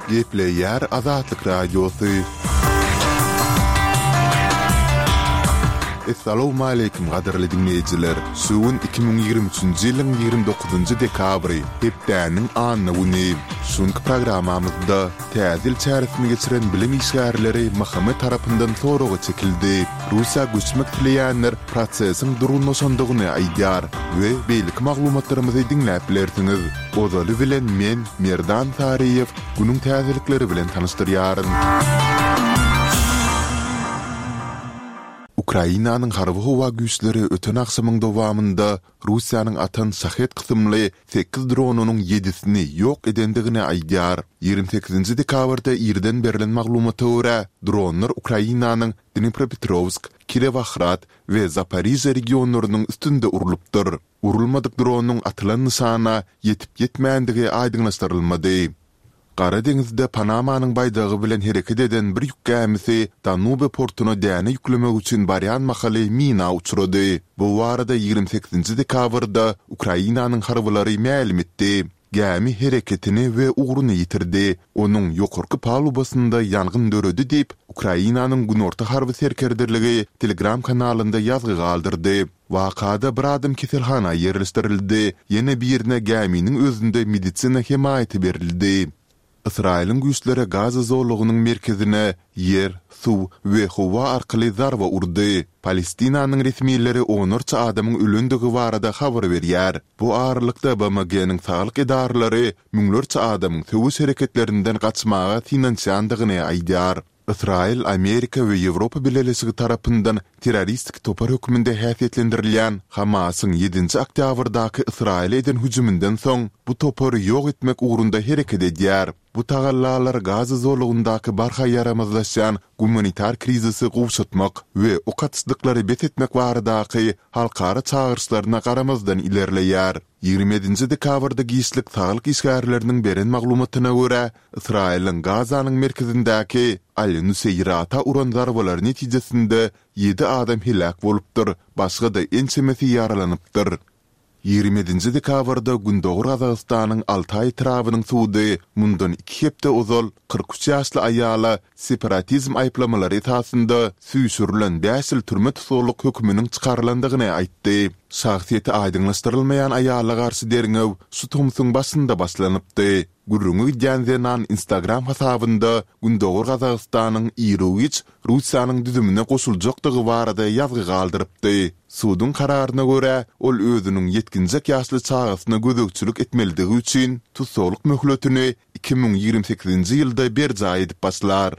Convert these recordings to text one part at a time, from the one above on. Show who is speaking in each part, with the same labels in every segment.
Speaker 1: Gepleýär Azatlyk Radiosy. Essalawmaleýkim gadyrly diňleýjiler! Şu gün 2023-nji ýylyň 29-njy dekabry, hepdäniň anna güni. Şu günki programmamyzda Täze ýyl çäresini geçiren bilim işgärleri MHM tarapyndan soraga çekildi. Russiýa göçmek isleýänler prosesiň durgunlaşandygyny aýdýar we beýleki maglumatlarymyzy diňläp bilersiňiz. Ozaly bilen men, Merdan Saryýew, günüň täzelikleri bilen tanyşdyrýaryn. Ukrainanyň harby-howa güýçleri öten agşamyň dowamynda Russiýanyň atan Şahed kysymly sekiz dronynyň ýedisini ýok edendigini aýdýar. 28-nji dekabrda irden berlen maglumata görä, dronlar Ukrainanyň Dnipropetrowsk, Kirowohrad we Zaporižýa regionlarynyň üstünde urlupdyr. Urulmadyk dronyň atylan nyşana ýetip-ýetmändigi aýdyňlaşdyrylmady. Gara deňizde Panamanyň baýdagy bilen hereket eden bir ýük gämisi Danube portuna däne ýüklemek üçin barýan mahaly mina uçrady. Bu barada 28-nji dekabrda Ukrainanyň harbylary mälim etdi. Gämi hereketini we ugruny ýitirdi, onuň ýokarky palubasynda ýangyn döredi diýip, Ukrainanyň Günorta harby serkerdeligi Telegram kanalynda ýazgy galdyrdy. Wakada bir adam keselhana ýerleşdirildi, ýene birine gäminiň özünde medisina hemaýaty berildi. Ysraýylyň güýçleri Gaza zolagynyň merkezine ýer, suw we howa arkaly zarba urdy. Palestinanyň resmileri onlarça adamyň ölendigi barada habar berýär. Bu aralykda BMG-niň saglyk edaralary müňlerçe adamyň söweş hereketlerinden gaçmaga synanyşýandygyny aýdýar. Ysraýyl Amerika we Ýewropa Bileleşigi tarapyndan terroristik topar hökmünde häsiýetlendirilýän Hamasyň ýedinji oktýabrdaky Ysraýyla eden hüjüminden soň bu topary ýok etmek ugrunda hereket edýär. Bu tagallalar Gaza zolagyndaky barha ýaramazlaşýan gumanitar krizisi gowşatmak we ok atyşlyklary bes etmek baradaky halkara çagyryşlaryna garamazdan ilerleýär. 27-nji dekabrda giçlik saglyk işgärleriniň beren maglumatyna görä, Ysraýylyň Gazanyň merkezindäki Al-Nuseýrata uran zarbalary netijesinde ýedi adam heläk bolupdyr, başga-da ençemesi ýaralanypdyr. 27-nji dekabrda Gündogar Gazagystanyň Altaý etrabynyň sudy mundan iki hepde ozal 43 ýaşly aýala separatizm aýyplamalary esasynda süýşürilen bäş ýyl türme tussaglyk höküminiň çykarylandygyny aýtdy. Şahsyýeti aýdyňlaşdyrylmaýan aýala garşy derňew şu tomsuň başynda başlanypdy. Gürrüňi gidýän zenan Instagram hasabynda Gündogar Gazagystanyň iru-giç Russiýanyň düzümine goşuljakdygy barada ýazgy galdyrypdy. Suduň kararyna görä, ol özüniň ýetginjek ýaşly çagasyna gözegçilik etmelidigi üçin tussaglyk möhletini 2028-nji ýylda berjaý edip başlar.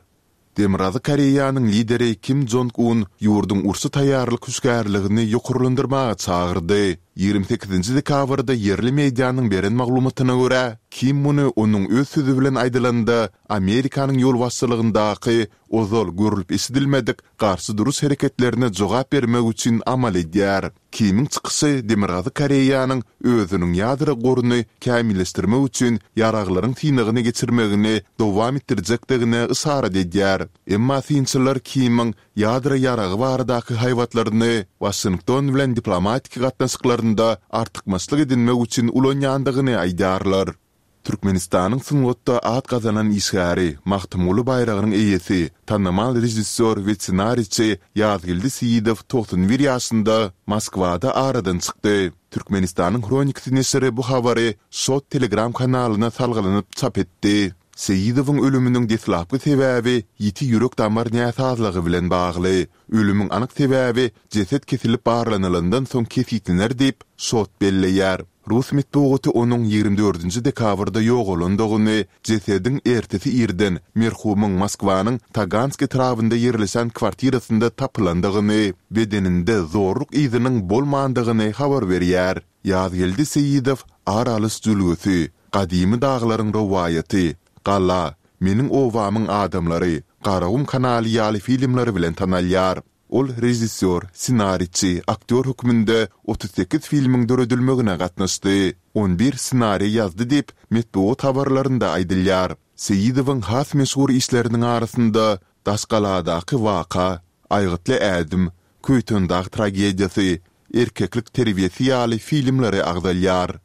Speaker 1: Demirgazyk Koreýanyň lideri Kim Jong Un ýurduň urşa taýýarlyk hüşgärligini ýokarlandyrmaga çagyrdy. 28-nji dekabrda ýerli medianyň beren maglumatyna görä, Kim muny onuň öz sözi bilen aýdylanda, Amerikanyň ýolbaşçylygyndaky ozal görlüp-eşidilmedik garşy duruş hereketlerine jogap bermek üçin amal edýär. Kimiň çykyşy Demirgazyk Koreýanyň özüniň ýadro goruny kämilleşdirmek üçin ýaraglaryň synagyny geçirmegini dowam etdirjekdigine yşarat edýär. Emma synçylar Kimiň ýadro ýaragy baradaky haýbatlaryny Waşington bilen diplomatik gatnaşyklarynda artykmaçlyk edinmek üçin ulanýandygyny aýdýarlar. Türkmenistanyň sungatda at gazanan işgäri, Magtymguly baýragynyň eýesi, tanymal režissýor we ssenariçi Ýazgeldi Seýidow 91 ýaşynda Moskwada aradan çykdy. Türkmenistanyň Hronikasy neşiri bu habary Şot Telegram kanalyna salgylanyp çap etdi. Seýidowyň ölüminiň deslapky sebäbi ýiti ýürek-damar näsazlygy bilen bagly. Ölümiň anyk sebäbi jeset kesilip barlanylandan soň kesgitlener diýip, Şot belleýär. Rus metbugaty onuň 24-nji dekabrda ýogalandygyny, jesediň ertesi irden merhumyň Moskwanyň Tagansk etrabynda ýerleşen kwartirasynda tapylandygyny, bedeninde zorluk yzynyň bolmandygyny habar berýär. Ýazgeldi Seýidow Ar alyş jülgesi, Gadymy daglaryň rowaýaty, Gala, Meniň obamyň adamlary, Garagum kanaly ýaly filmleri bilen tanalýar. Ol režissýor, ssenariçi, aktýor hökmünde 38 filmiň döredilmegine gatnaşdy. On bir ssenariý ýazdy diýip, metbugat habarlarynda aýdylýar. Seýidowyň has meşhur işleriniň arasynda Daşgaladaky waka, Aýgytly ädim, Köýtendag tragediýasy, Erkeklik terbiýesi ýaly filmleri agzalýar.